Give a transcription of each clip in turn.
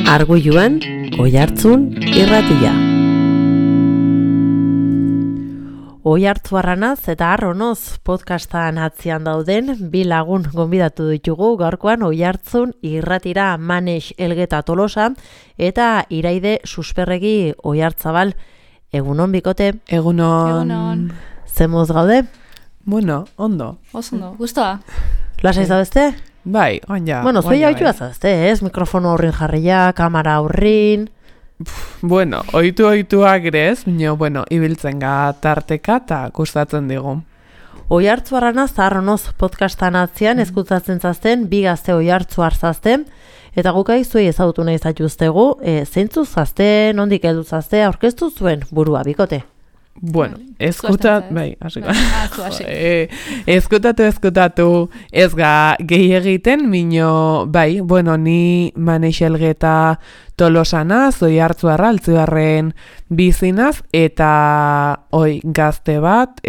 Arguiluan, Oihartzun irratia. Oihartzuarranaz eta Arronoz podcastan atzian dauden bi lagun gonbidatu ditugu gaurkoan Oihartzun irratira Manex Elgeta Tolosa eta Iraide Susperregi Oihartzabal. Egunon bikote. Egunon. Zemoz gaude? Bueno, ondo. Ondo, gustoa. Lasa izabeste? Bai, oina. Bueno, zoi hau azazte, ez? Mikrofono horrin jarria, kamera horrin. Bueno, oituak grez, bueno, ibiltzen tarteka eta gustatzen digu. Oihartzuarranaz Arronoz podcastan atzian ezkutzatzen zazten, bi gazte oihartzuar zazten, eta gukai zuei ezagutu nahi zatuztegu, zeintzu zazte, nondik heldu zazte, aurkeztu zuen burua, bikote. Bueno, eskutatu, ez gehi egiten, bai, bueno, ni Manex Elgeta Tolosanaz, Oihartzuarra, Altzibarren bizinaz, eta gazte bat,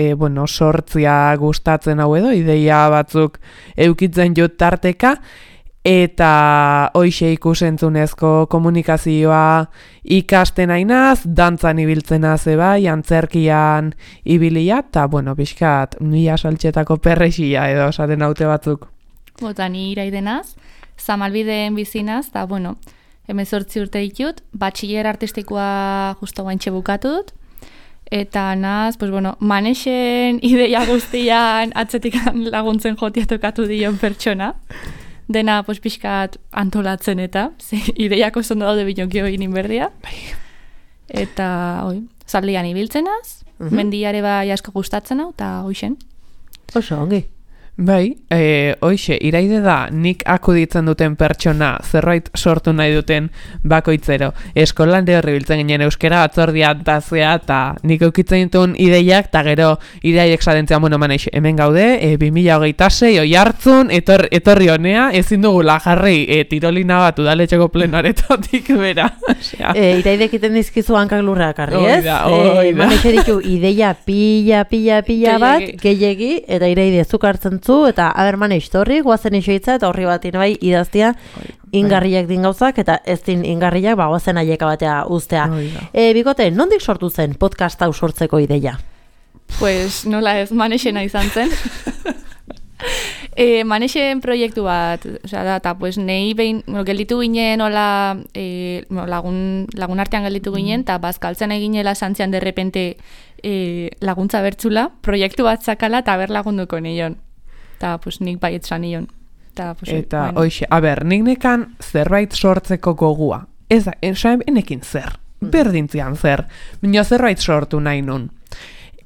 sortzia gustatzen hau edo, ideia batzuk eukitzen jut tarteka, eta hoixe ikusentzunezko komunikazioa ikasten ainaz, dantzan ibiltzena bai, antzerkian ibilia, eta, pixkat, mila saltxetako perrexia edo esaten haute batzuk. Bota, ni Iraidenaz, Zamalbideen bizinaz, eta, 18 urte ditut, batxiller artistikoa justo guantxe bukatu dut, eta naz, Manexen ideia guztian atzetik laguntzen jotia tokatu dion pertsona. Dena pixkat antolatzen eta ideiak oso ondo daude binokio egin berdia. Eta zaldian ibiltzenaz, mendiare bai asko gustatzen hau, eta hoixen. Oso, ongi. Bai, hoixe, Iraide da nik akuditzen duten pertsona zerbait sortu nahi duten bakoitzero. Eskolan horri biltzen ginen euskera batzordia antazea eta nik eukitzen dituen ideiak eta gero Iraidek sadentzea, Manex, hemen gaude, 2026 Oihartzun, etorri honea, ezin dugula jarri tirolina bat udaletxeko plenaretotik bera. Iraidek iten dizkizu hankak lurrak arri, ez? Oida. Manex eriku ideia pila bat, gehiegi, eta Iraide zuk hartzen eta Manex torri, guazen isoitza eta horri batin bai idaztia ingarriak din gauzak eta ez din ingarriak guazen aieka batea uztea. Bikote, nondik sortu zen podcast hau sortzeko ideia? Pues nola ez, Manexena izan zen. Manexen proiektu bat, eta nahi behin gelditu ginen lagun artean gelditu ginen eta bazkaltzen eginela santzian derrepente laguntza bertzula, proiektu bat zakala eta lagunduko nion. Eta nik baietza nion. Eta, hoxe, nik nekan zerbait sortzeko gogua. Ez da, enekin zer, berdintzian zer, minio zerbait sortu nahi nun.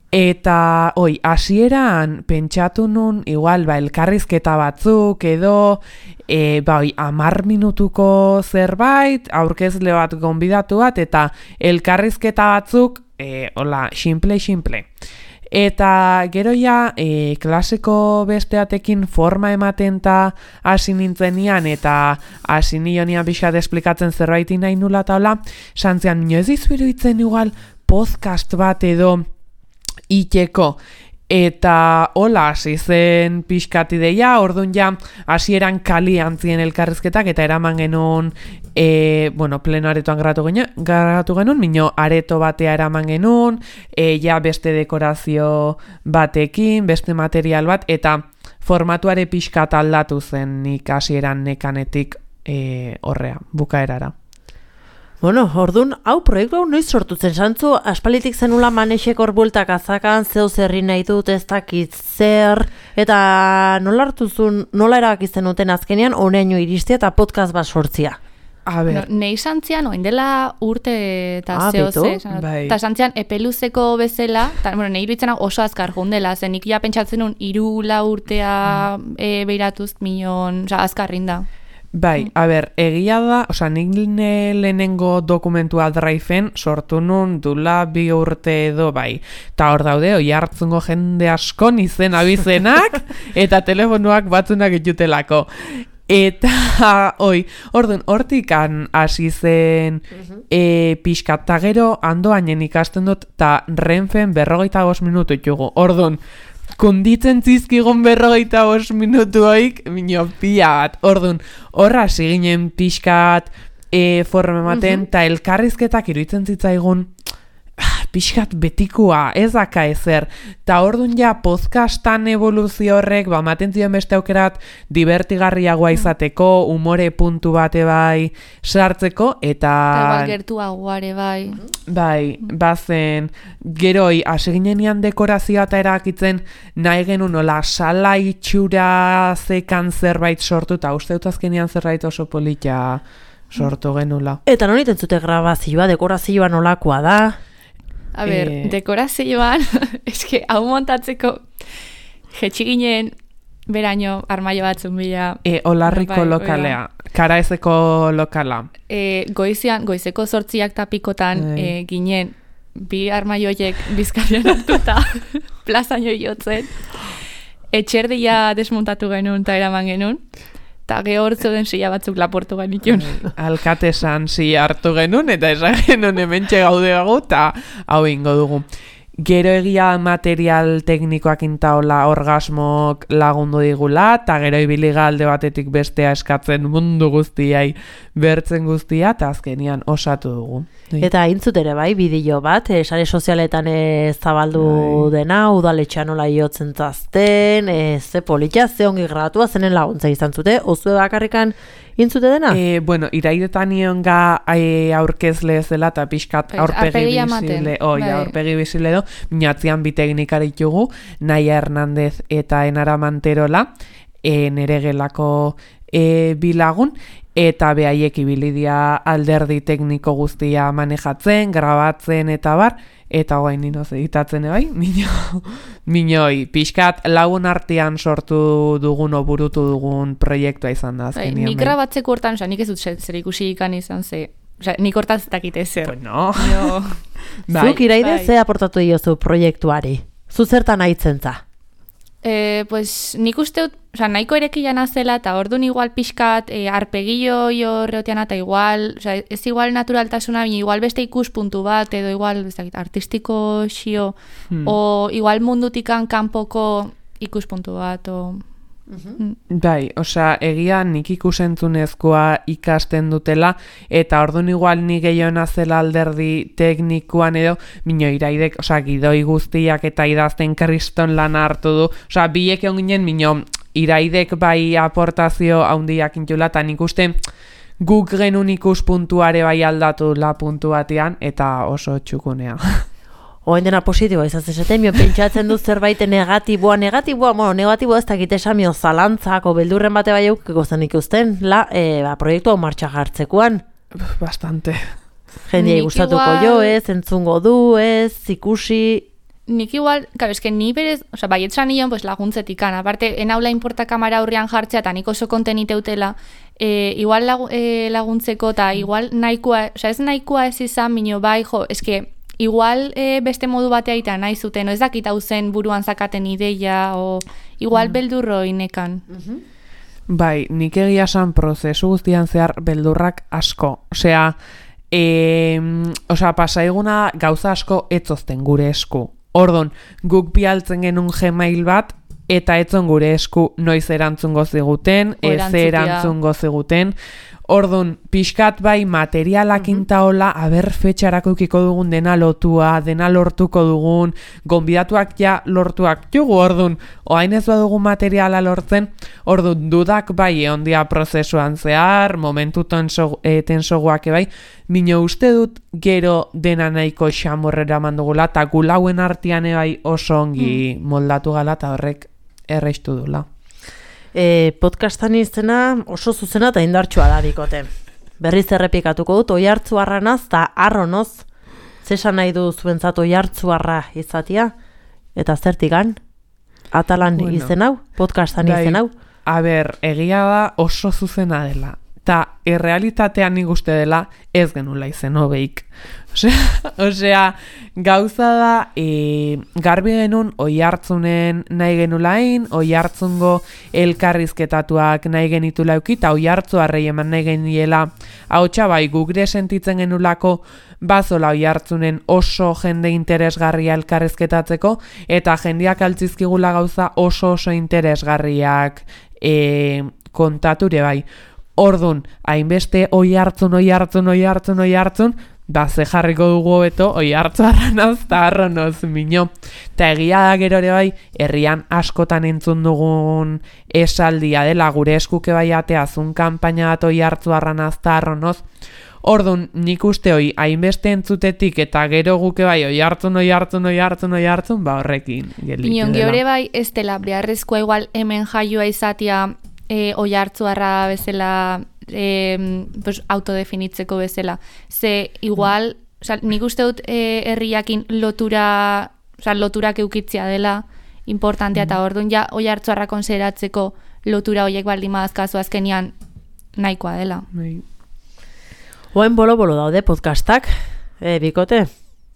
Eta, hasieran pentsatu nun, igual, elkarrizketa batzuk, edo, 10 minutuko zerbait, aurkezle bat gonbidatu bat, eta elkarrizketa batzuk, simple. Eta gero klaseko besteatekin forma ematen eta hasi nintzenian eta hasi nionian pixat esplikatzen zerbaitin nahi nula eta hola, santzean ez dizuiru itzen igual podcast bat edo iteko. Eta hola hasi zen pixkat ideia, orduan hasieran kalian ziren elkarrizketak eta eraman genuen, pleno aretoan garatu genuen, minio areto batea eraman genuen, beste dekorazio batekin, beste material bat, eta formatuare pixkat aldatu zen nik hasieran nekanetik horrea, bukaerara. Orduan, proiektu hau noiz sortutzen santzu, aspalitik zenula Manexek hor bueltak azakan, zeu zerri nahi dut, ez dakit zer, eta nola erabakizten duten azkenean, honeaino iristia eta podcast bat sortzia? Nei santzian, oindela urte eta zehose, eta santzian epeluzeko bezala, nei iruditzen oso azkar jundela, zen nik pentsatzen nun 3-4 urtea beiratuz minon, azkarrin da. Bai, egia da, nik lehenengo dokumentua Driven sortu nun dula 2 urte edo bai. Eta hor daude, Oihartzungo jende askon izen abizenak eta telefonuak batzunak itutelako. Eta, orduan, hortikan hasi zen pixkat, eta gero andoainen ikasten dut, eta Renfen 45 minutu itugu. Orduan, konditzen zizkigon 45 minutuoik, minio pila bat. Orduan, horra ziginen pixkat forma ematen, eta elkarrizketak iruditzen zitzaigun pixkat betikua, ez daka ezer. Ta ordun ja podcastan evoluzio horrek, ematen zion beste aukerat divertigarriagoa izateko, umore puntu bate bai sartzeko, eta igual gertuagoare bai. Bai, bazen, geroi, aseginean dekorazioa eta erakitzen nahi genuen nola sala itxura zekan zerbait sortu, eta uste dut azkenean zerbait oso polita sortu genula. Eta non itentzute grabazioa, dekorazioa nolakoa da? A ber, dekorazioan, eske, hau montatzeko jetxi ginen beraino armaio batzun bila. Olarriko lokalea, Karaezeko lokala. Goizeko 8 tapikotan ginen bi armaioiek bizkarian hartuta plazaino jotzen. Etxerdia desmontatu genuen eta eraman genuen. Eta gehor zeuden silla batzuk laportu genitun. Alkatesan silla hartu genuen, eta esan genuen hementxe gaude gago, eta hau ingo dugu. Gero egia material teknikoak intaola orgasmok lagundu digula, eta gero ibiliga alde batetik bestea eskatzen mundu guztiai bertzen guztia, eta azkenian osatu dugu. Eta intzut ere bai, bideo bat, sare sozialetan zabaldu dena, udaletxean nola jotzen zazten, ze politia, ze ongi grabatua zenen laguntza izan zute, ozue bakarrikan intzute dena? Bueno, iraidetan nionga aurkezle zela eta pixkat aurpegi bizile, aurpegi bizile do, minatzean bi teknikari ditugu, Naia Hernandez eta Enara Manterola, nere gelako bilagun, eta behaiek ibilidia alderdi tekniko guztia manejatzen, grabatzen eta bar, eta guain ninoz editatzen bai, minoi, pixkat lagun artean sortu dugun o burutu dugun proiektua izan da. Nik grabatzeko hortan, nik ez dut zer ikusi ikan izan ze, nik hortan zetakit ezer. Bueno. Zuk iraide ze aportatu diozu proiektuari? Zu zertan aitzen za? Pues nik uste dut, nahiko erekian azela, eta orduan igual pixkat arpegillo horreotean, eta igual, ez igual naturaltasuna, igual beste ikuspuntu bat, edo igual artistiko xio, o igual mundutikan kanpoko ikuspuntu bat, o... Bai, egia nik ikusentzunezkoa ikasten dutela, eta orduan igual ni gehiona zela alderdi teknikoan edo, minio iraidek, gidoi guztiak eta idazten kriston lan hartu du, biek egon ginen, minio iraidek bai aportazio haundiak intula, eta nik uste guk genuen ikuspuntuare bai aldatu la puntu batean, eta oso txukunea. Oen dena positiboa izaz esaten, pentsatzen dut zerbait negatiboa, negatiboa ez dakit esamio zalantzako beldurren bate bai eukiko zen ikusten, proiektu hau martxa jartzekoan. Bastante. Jendiai gustatuko jo ez, entzungo du ez, ikusi... Nik igual, eske ni berez, baietxan nion laguntzetik an, aparte, enaula inporta kamera aurrean jartzea, eta nik oso konteniteutela, igual laguntzeko, eta igual nahikoa, ez nahikoa ez izan, minio bai, eske, igual beste modu batea eta nahi zuten, ez dakit hau zen buruan zakaten ideia, o igual beldurro inekan. Bai, nik egia esan prozesu guztian zehar beldurrak asko. Pasaiguna gauza asko etzozten gure esku. Ordon, guk bialtzen genuen Gmail bat, eta etzon gure esku noiz erantzungo ziguten, ez erantzungo ziguten. Ordun, pixkat bai materialak intaola, aber fetxarako ukiko dugun dena lotua, dena lortuko dugun, gonbidatuak ja lortuak jugu, ordun, oain ez badugu materiala lortzen, ordun, dudak bai ondia prozesuan zehar, momentu tensoguak bai, mino uste dut gero dena nahiko xamorrera mandugula, eta gulauen artean bai oso ongi moldatu gala, eta horrek erreistu dula. Podcastan izena oso zuzena eta indartsua da bikote. Berriz errepikatuko dut, oihartzuarranaz eta arronoz, zesan nahi du zuentzat oihartzuarra izatia, eta zertikan, atalan izen hau, podcastan izen hau. Egia da oso zuzena dela, eta errealitatean nik uste dela ez genula izen hobeik. Gauza da, garbi genuen oihartzunen nahi genulain, oihartzungo elkarrizketatuak nahi genitula euki, eta oihartzuarrei eman nahi geniela, hau bai, gugre sentitzen genulako bazola oihartzunen oso jende interesgarria elkarrizketatzeko, eta jendeak altzizkigula gauza oso interesgarriak kontature bai. Ordun, hainbeste oi hartzun, ba, ze jarriko dugu hobeto, oi hartzu arranaz eta arronoz mino. Eta egia da gero ere bai, herrian askotan entzun dugun esaldia dela, gure eskuke bai ateazun kanpaina bat oi hartzu arranaz eta arronoz. Ordun, nik uste hoi, hainbeste entzutetik eta gero guke bai, oi hartzun, ba horrekin gelditu dela. Minon, geure bai, ez dela, beharrezkoa igual hemen jaioa izatea oi hartzuarra bezala pues, autodefinitzeko bezala. Ze igual, nik uste dut herriakin loturak eukitzia dela importantea, eta orduan ja oi hartzuarra konsideratzeko lotura horiek baldin madazkazu azkenian nahikoa dela. Oain bolo daude podcastak, bikote,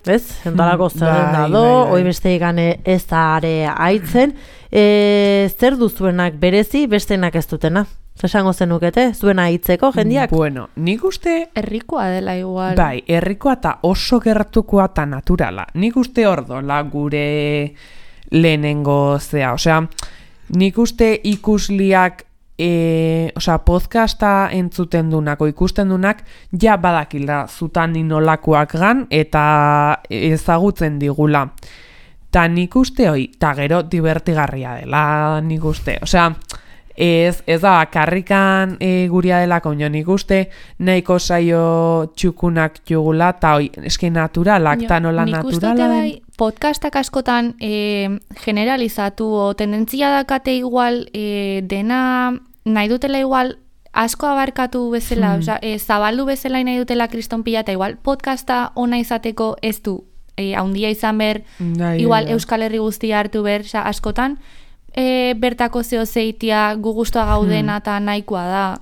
ez? Entalako zerren dado, oi beste igane ez da are aitzen. Zer duzuenak berezi, bestenak ez dutena? Zesango zenukete, zuena hitzeko jendiak? Bueno, nik uste... Herrikoa dela igual. Bai, herrikoa eta oso gertukoa eta naturala. Nik uste ordola gure lehenengo zea. Osea, nik uste ikusliak podcasta entzuten dunako, ikusten dunak, ja badakila zutan inolakoak gan eta ezagutzen digula. Ta nik uste hoi, ta gero divertigarria dela nik uste. Osea, ez da bakarrikan guria delako, nik uste nahiko saio txukunak jugula, eta hoi, eski naturalak, eta nola naturala. Nik uste bai, podcastak askotan generalizatu, o tendentzia dakate igual dena nahi dutela igual asko abarkatu bezala, zabaldu bezala nahi dutela kriston pila, eta igual podcasta ona izateko ez du haundia izan ber, igual Euskal Herri guztia hartu ber, askotan bertako zeo zeitia gu gustoa gaudena eta nahikoa da.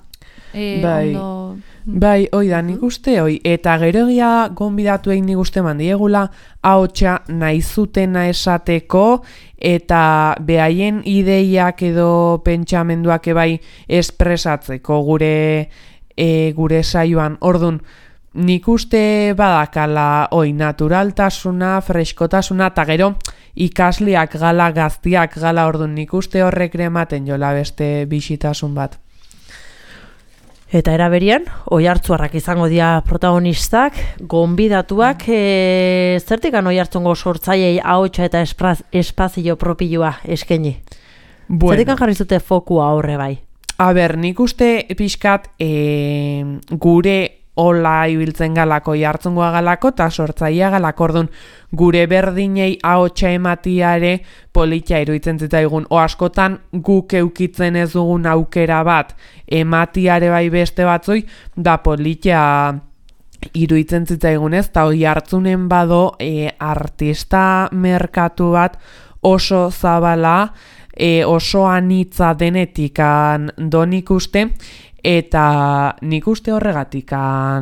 Ondo... Bai, oi da, nik uste, oi. Eta gero egia gonbidatu egin nik uste mandiegula, ahotsa nahi zutena esateko, eta behaien ideiak edo pentsamenduak ebai espresatzeko gure saioan. Ordun, nik uste badakala, oi, naturaltasuna, freskotasuna, eta gero ikasleak gala, gaztiak gala, ordun, nik uste horrek ematen jola beste bisitasun bat. Eta eraberian, oihartzuarrak izango dira protagonistak, gonbidatuak, zertikan oihartzungo sortzaileei ahotsa eta espazio propioa eskaini? Bueno. Zertikan jarri zute fokua horre bai? A ber, nik uste pixkat gure hola ibiltzen galako, jartzungoa galako, eta sortzaia galako, orduan gure berdinei ahotsa ematiare politia iruditzen zitzaigun. O askotan guk eukitzen ez dugun aukera bat ematiare bai beste batzoi, da politia iruditzen zitzaigun ez, eta hoi hartzunen bado artista merkatu bat oso zabala, oso anitza denetikan donik uste, eta nik uste horregatik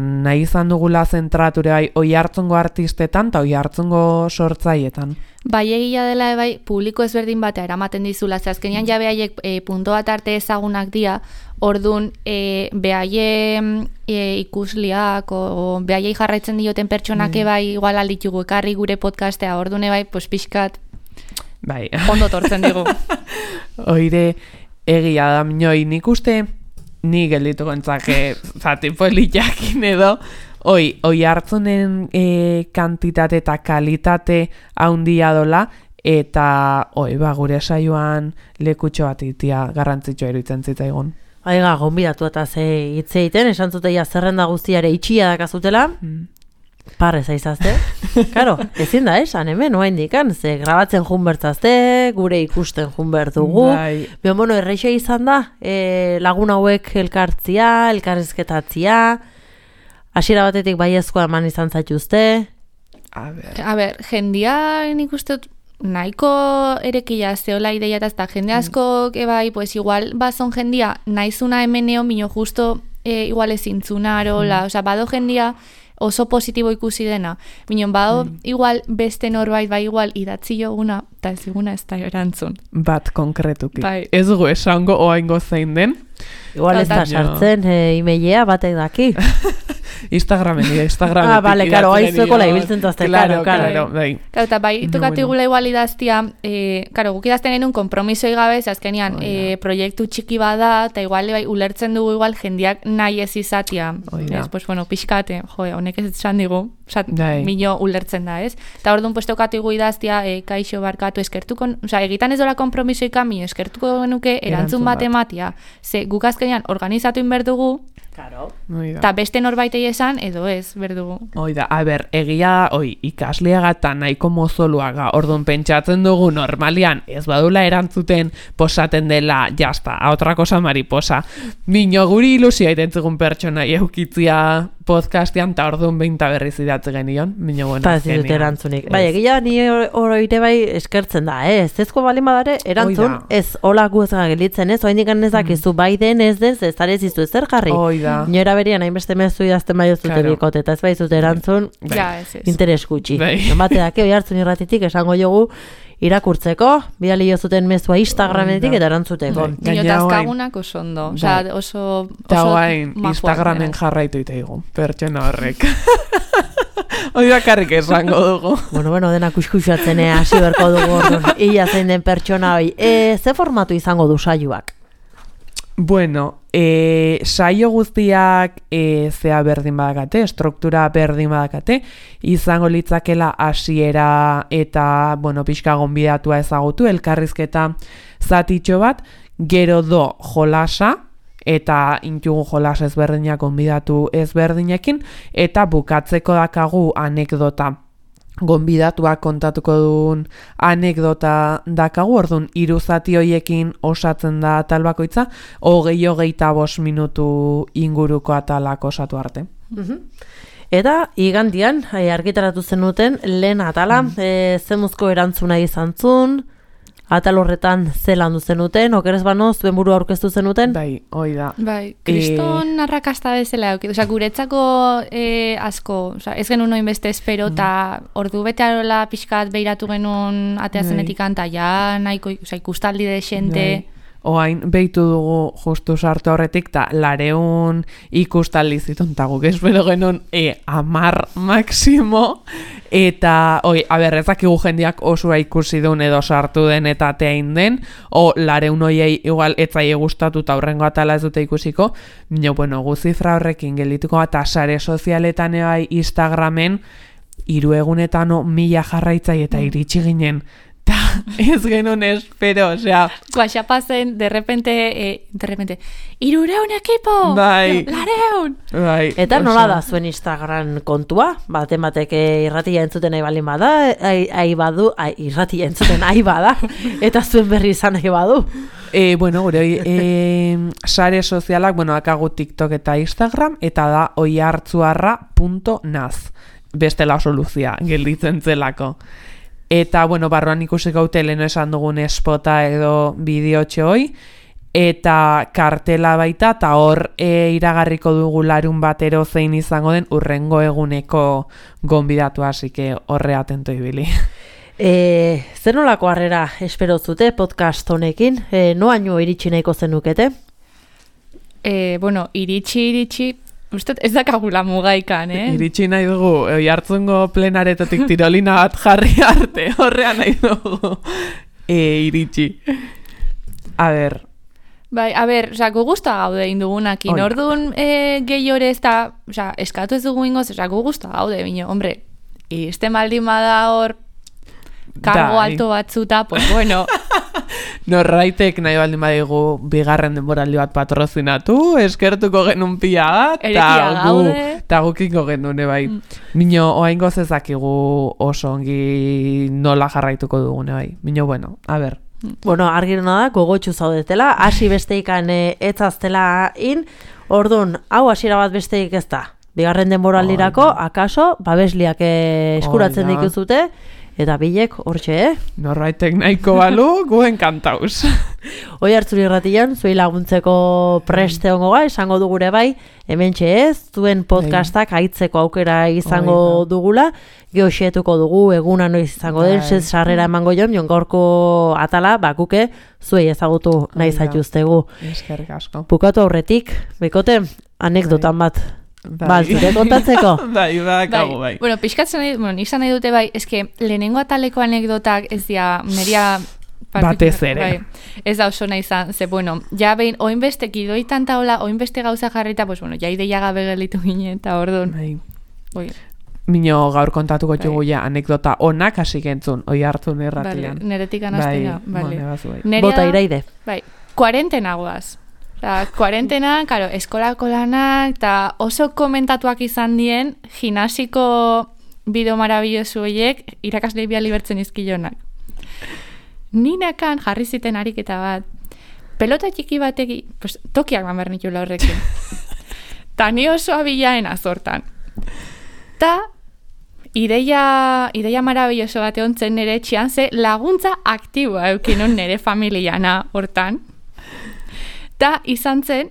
nahi izan dugula zentrature bai oihartzungo artistetan eta oihartzungo sortzaietan. Bai egia dela bai publiko ezberdin batea eramaten dizula, ze azkenean ja behaiek punto bat arte ezagunak dira, ordun behaien ikusliak o behaiei jarraitzen dioten pertsonak bai igual alditugu ekarri gure podcastea, ordun bai pues pixkat bai. Ondo tortzen digu. Oire egia da minoi, nik uste ni gelditu gontzake zati politiakin edo oi hartzunen kantitate eta kalitate haundia dola eta gure saioan lekutxo bat itia garrantzitsua iruditzen zitzaigun. Aiga, gonbidatu eta ze hitz egiten, esan zuteia zerrenda guztiare itxia dakazutela, parrez aizazte. Karo, ezin da esan, hemen, oain dikan, ze grabatzen jun bertzazte, gure ikusten jun berdugu. Bueno, erreixe izan da, lagun hauek elkartzia, elkarrizketatzia, hasiera batetik baiezkoa eman izan zaituzte. A ber, jendia nik uste nahiko erekila zeola ideia eta jende askok ebai, pues igual bazon jendia naizuna hemeneo, mino justo igual ezintzuna arola, osea, bado jendia oso positibo ikusi dena. Minon, bado igual beste norbait, bai igual idatzi joguna, eta ez diguna ez da erantzun. Bat konkretuki. Bai. Ez gu esango oaingo zein den. Igual ez da sartzen emailea batek daki. Instagramen. Ah, bale, karo, aizuekola ibiltzen tazte, karo. Bai. Karo, eta bai, tokatigula igual idaztia, karo, guk idazten genuen kompromisoi gabe, azkenean, proiektu txiki bada, eta igual, bai, ulertzen dugu igual jendiak nahi ez izatia. Ez, pues, bueno, pixkate, honek ez esan digu, mino ulertzen da, ez? Eta orduan, pues, tokatigu idaztia, kaixo barkatu eskertuko, egitan ez dola kompromisoi kami, eskertuko genuke erantzun bat ematia. Ze, guk azkenean organizatu inberdugu, eta beste norbaitei esan, edo ez, berdugu. Oida, egia, ikasleaga nahiko mozoluaga, orduan pentsatzen dugu normalian, ez badula erantzuten posaten dela, jazta, a otra cosa mariposa. Mino guri ilusia itentzegun pertsona eukitzia podcastian, eta orduan beinta berriz idatze genion. Mino, bueno, ez dut erantzunik. Bai, egia ni oroire bai eskertzen da, ez ezko balin badare, erantzun, ez olako ez gelitzen, ez, oain dikan ezakizu, bai den ez dez, ez zarez izu ezer jarri. Nora berian hainbeste mezu idazten bai zute bikote, eta ez bai zute erantzun, interes gutxi. Bate dake, oi hartzun irratitik, esango jogu, irakurtzeko, bidali jozuten mezua Instagrametik eta erantzuteko. Dinotazkagunak oso ondo, oso guain, Instagramen jarraitu itaigu, pertsona horrek. Hoi bakarrik esango dugu. Bueno, dena kuskusatzen hasi berko dugu orduan. Ia zein den pertsona hoi. Ze formatu izango du saioak? Bueno, saio guztiak zea berdin badakate, struktura berdin badakate, izango litzakela hasiera eta, pixka gonbidatua ezagutu, elkarrizketa zatitxo bat, gero do jolasa, eta intugu jolas ezberdinak gonbidatu ezberdinekin, eta bukatzeko dakagu anekdota. Gonbidatuak kontatuko duen anekdota dakagu, orduan 3 zati hoiekin osatzen da atal bakoitza, 20-25 minutu inguruko atalak osatu arte. Eta igandian, argitaratu zenuten, lehen atala, zemuzko erantzuna izan zuen, atal horretan zelan du zenuten, okerez bano, zuen buru aurkeztu zenuten? Bai, hoi da. Bai, kriston arrakasta bezala, guretzako asko, ez genuen noin beste espero, eta ordu bete arola pixkat behiratu genuen atea zenetik anta, ja nahiko ikustaldi de xente. Oain, behitu dugu justu sartu horretik, eta 200 ikustaldi zitun, eta guk espero genuen 10 maximo, eta, ezakigu jendiak osua ikusi duen edo sartu den eta ateain den, 200 hoiei igual etzaie gustatu eta aurrengo atala ez dute ikusiko, gu zifra horrekin gelituko, eta sare sozialetan ebai Instagramen, 3 egunetan 1000 jarraitzai eta iritsi ginen, ta ez genuen espero, osea. Guaxapazen, de repente, 300 ekipo! Bai. 200! Bai. Eta nola da zuen Instagram kontua? Batek irratia entzuten nahi balin bada, irratia entzuten nahi bada, eta zuen berri izan nahi badu. Gure sare sozialak, akagu TikTok eta Instagram, eta da oihartzuarra.naz. Bestela soluzia, gelditzen zelako. Eta, barruan ikusiko haute leheno esan dugun espota edo bideotxo hoi, eta kartela baita, eta hor iragarriko dugu larun batero zein izango den urrengo eguneko gonbidatu, hasike horre atento ibili. Zer nolako harrera espero zute podcast honekin? Noaino iritsi nahiko zenukete? Iritsi, usted ez dakagula mugaikan, Iritsi nahi dugu, jartzungo plenaretotik tirolina bat jarri arte, horrean nahi dugu. Iritsi. A ber. Bai, gu guztua gaude indugunakin, orduan gehi hori ez da, eskatu ez dugu ingoz, gu guztua gaude, bine, hombre, este maldin bada hor, kargo alto batzuta, pues bueno. Norraitek nahi baldin badigu bigarren denboraldi bat patrozinatu, eskertuko genuen pila bat, eta gukiko genuen, bai. Mino, oaingoz ezakigu oso ongi nola jarraituko dugune, bai. Mino, a ber. Argiruna da, gogotxu zaudetela, hasi besteikan etzaztela orduan, hau hasiera bat besteik ez da. Bigarren denboraldirako, akaso, babesliak eskuratzen dituzute, eta bilek, hortxe, Norraitek nahiko balu, guen kantauz. Hoi hartzuri irratian, zuei laguntzeko preste ongo esango dugure bai, hementxe ez, zuen podcastak haitzeko aukera izango dugula, geoxetuko dugu, eguna noiz izango den, sarrera emango jon gaurko atala, bakuke, zuei ezagutu nahi zaituztegu. Eskerrik asko. Bukatu aurretik, bikote, anekdotan bat Baltzure kontatzeko. Bai, badakago, bai. Bueno, pixkatzen nahi, izan nahi dute bai, eske lehenengo ataleko anekdotak ez dira, neria batez ere. Bai, ez da oso nahi izan, ze bueno, ja behin, oinbeste kidoitan taola, oinbeste gauza jarrita, pues bueno, ja ideia gabe gelitu ginen, eta orduan. Bai. Mino gaur kontatuko txugu ja anekdota onak hasi gentzun, oi hartzun erratian. Neretik anaztina, bai. Bota Iraide. Bai, kuarentena guaz. Kuarentena, karo, eskolako lanak, eta oso komentatuak izan dien, gimnasiko bideo marabillosu horiek, irakaslei biali bertzen izkilonak. Ninakan jarri ziten ariketa bat, pelota txiki bateki, pues, tokiak man bernitula horrekin. Ta ni oso abilaen azortan. Ta ideia marabilloso bat egontzen nire etxean, ze laguntza aktiboa eukinon nire familiana hortan. Ta izan zen,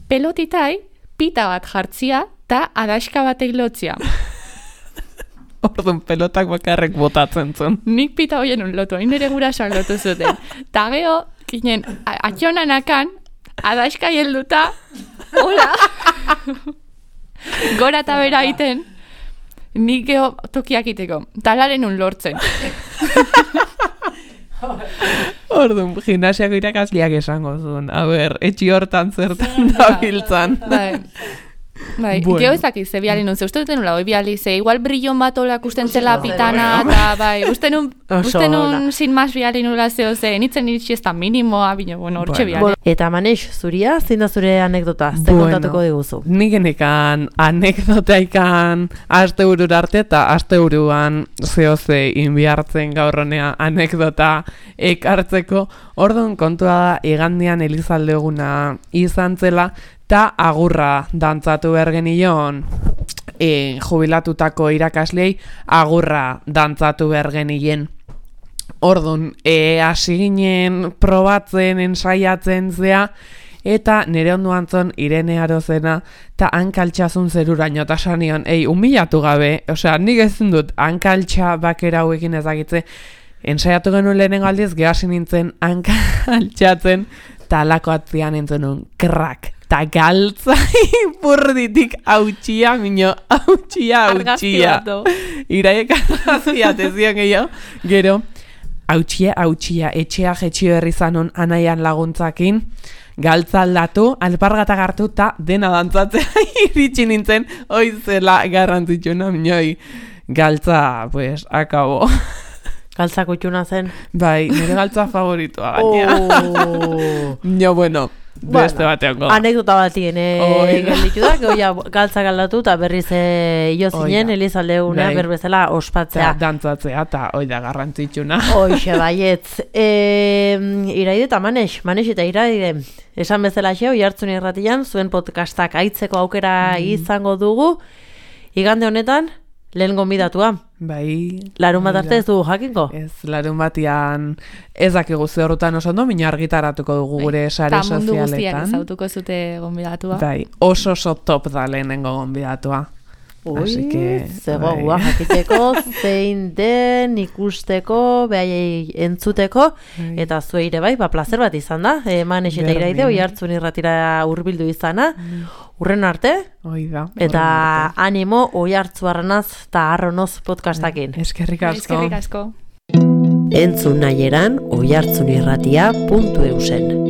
pelotitai pita bat jartzia, ta adaxka batek lotzia. Orduan pelotak bakarrek botatzen zuen. Nik pita hoien un lotu, hain nire gurasoak lotu zuten. Ta geho, kinen, atxonanakan, adaxka helduta, hola, gora eta bera iten, nik geho tokiak iteko, talaren un lortzen. Orduan, gimnasiako irakasliak esango zuen. A ber, etxi hortan zertan da biltzan. Bai, bueno. Geho ezaki, ze biali nun, ze uste duten nula, oi biali, ze igual brillon bat olak usten zela pitana, eta bai, uste nun sin mas biali nula zeo, ze nitzen iritsi ez da minimoa, bine, bueno, hortxe biali. Eta Maneix, zuria, zein da zure anekdota, ze kontatuko diguzu? Nik genekan anekdotaikan aste burur arte eta aste buruan zehoze inbiartzen gaurronea anekdota ekartzeko. Orduan kontua da, igandian Elizalde eguna izan zela, eta agurra dantzatu behar genion jubilatutako irakaslei agurra dantzatu behar genien. Orduan, hasi ginen probatzen, ensaiatzen zea, eta nire onduan zon Irene Arozena, eta hankaltxazun zeruraino, eta sanion, humilatu gabe, osea, nik ezin dut hankaltxa bakera hauekin ezagitze, ensaiatu genuen lehenengo aldiz, gehasi nintzen hankaltxatzen, eta alako atzian nintzen un krak. Ta galtza ipurditik hautsia, mino, hautsia. Iraiek argazia, tezion gehiago. Gero, hautsia, etxea jetxio herri zanon anaian laguntzakin, galtza aldatu, alpargatak hartu, ta dena dantzatzea iritsi nintzen, oizela garrantzitsuna, minoi, galtza, pues, akabo. Galtza kutxuna zen? Bai, nire galtza favoritua gaina. No, bueno. Beste batean goda. Anekdota batien gelditu da, goia galtza galdatu eta berriz jo zinen Elizalde eguna berbezela ospatzea. Dantzatzea eta oida garrantzitsuna. Hoxe baietz. Iraide eta Maneix eta Iraide. Esan bezala xe, Oihartzun Irratian, zuen podcastak aitzeko aukera izango dugu. Igande honetan, lehen gonbidatua. Bai. Larun bat arte ez dugu jakinko? Ez, larun batian ez dakigu ze horretan oso ondo, mina argitaratuko dugu gure sare sozialetan. Ta mundu guztiak ezautuko zute gonbidatua. Bai, oso top da lehenengo gonbidatua. Zegoa jakiteko, zein den ikusteko, behaiei entzuteko, eta zueire bai, plazer bat izan da, Maneix eta Iraide, Oihartzun Irratira hurbildu izana, urren arte, eta animo Oihartzuarrenaz eta Arronoz podcastakin. Eskerrik asko. Eskerrik asko. Entzun nahieran oihartzunirratia.eusen